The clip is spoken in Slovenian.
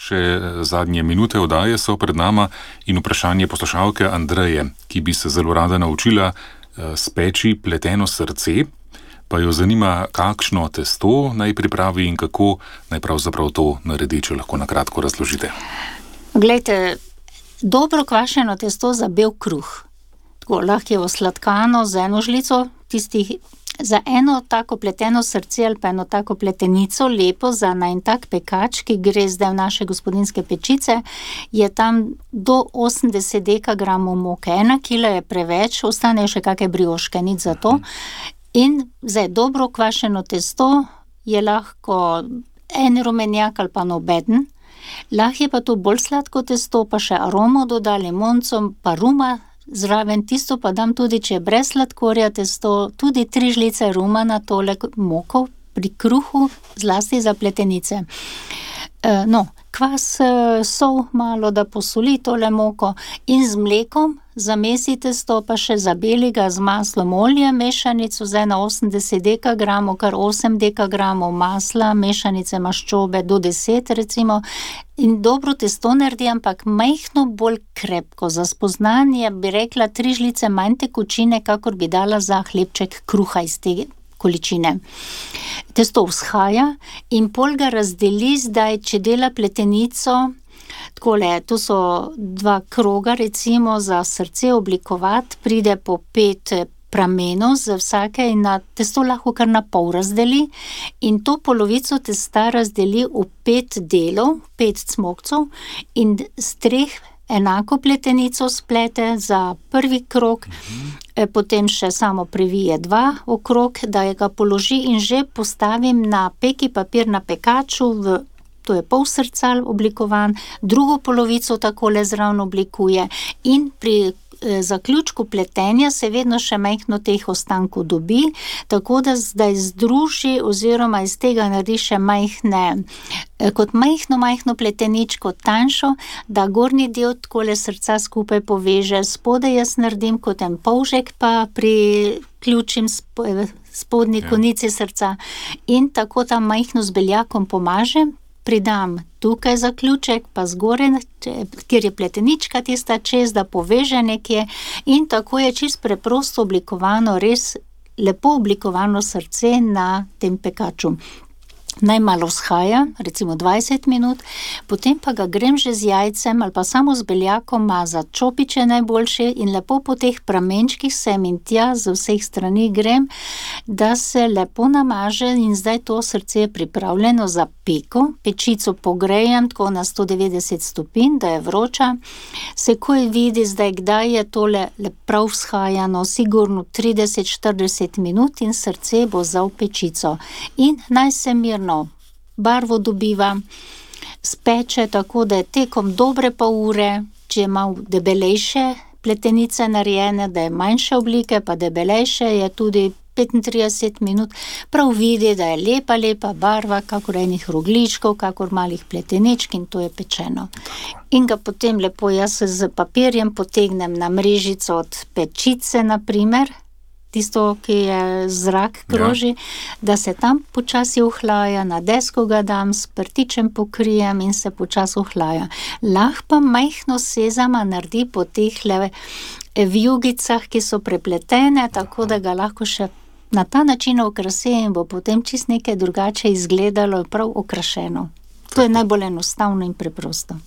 Še zadnje minute oddaje so pred nama in vprašanje poslušalke Andreje, ki bi se zelo rada naučila speči pleteno srce, pa jo zanima, kakšno testo naj pripravi in kako naj pravzaprav to naredi, če lahko na kratko razložite. Glejte, dobro kvašeno testo za bel kruh. Tako lahko je osladkano z eno žlico tistih. Za eno tako pleteno srce ali pa eno tako pletenico, lepo za en tak pekač, ki gre zdaj v naše gospodinjske pečice, je tam do 80 dekagramov moke. 1 kila je preveč, ostanejo še kakšne brioške, nič za to. In zdaj dobro kvašeno testo je lahko en rumenjak ali pa nobeden. Lahko je pa to bolj sladko testo, pa še aromo doda, limonco, pa ruma. Zraven tisto pa dam tudi, če je brez sladkorja testo, tudi 3 žlice ruma na tole moko pri kruhu, zlasti za pletenice. Kvas, sol malo, da posoli tole moko in z mlekom zamesi testo, pa še zabeli ga z maslom, olje, mešanico zdaj na 80 dekagramov, kar 8 dekagramov masla, mešanice maščobe do 10 recimo, in dobro testo naredi, ampak majhno bolj krepko. Za spoznanje bi rekla 3 žlice manj tekočine, kakor bi dala za hlebček kruha iz te količine. Testo vzhaja in pol ga razdeli zdaj, če dela pletenico, takole, to so 2 kroga recimo za srce oblikovati, pride po 5 pramenov za vsake in na testo lahko kar na pol razdeli in to polovico testa razdeli v 5 delov, 5 cmokcev in z 3 enako pletenico splete za prvi krog, potem še samo previje 2 okrog, da ga položi in že postavim na peki papir na pekaču, to je pol srca oblikovan, drugo polovico takole zraven oblikuje in pri zaključku pletenja se vedno še majhno teh ostankov dobi, tako da zdaj združi oziroma iz tega naredi še majhne, kot majhno pleteničko tanjšo, da gornji del takole srca skupaj poveže, spodaj jaz naredim kot en polžek, pa priključim spodnji konici srca in tako tam majhno z beljakom pomažem, pridam tukaj zaključek, pa zgoraj, kjer je pletenička tista čez, da poveže nekje in tako je čisto preprosto oblikovano, res lepo oblikovano srce na tem pekaču. Naj malo vzhaja, recimo 20 minut, potem pa ga grem že z jajcem ali pa samo z beljakom mazati, čopiče najboljše in lepo po teh pramenčkih sem in tja z vseh strani grem, da se lepo namaže in zdaj to srce je pripravljeno za peko. Pečico pogrejem tako na 190 stopinj, da je vroča. Se ko vidi zdaj, kdaj je tole prav vzhajano, sigurno 30-40 minut in srce bo za v pečico. In naj se mirno barvo dobiva, speče tako, da je tekom dobre pol ure, če je malo debelejše pletenice narejene, da je manjše oblike, pa debelejše je tudi 35 minut, prav vidi, da je lepa barva, kakor enih rogličkov, kakor malih pleteničk in to je pečeno. In ga potem lepo jaz z papirjem potegnem na mrežico od pečice, na primer, tisto, ki je zrak kroži, da se tam počasi ohlaja, na desko ga dam, s prtičem pokrijem in se počasi ohlaja. Lahko pa majhno sezama naredi po teh vijugicah, ki so prepletene, tako da ga lahko še na ta način okrasi in bo potem čist nekaj drugače izgledalo, prav okrašeno. To je najbolj enostavno in preprosto.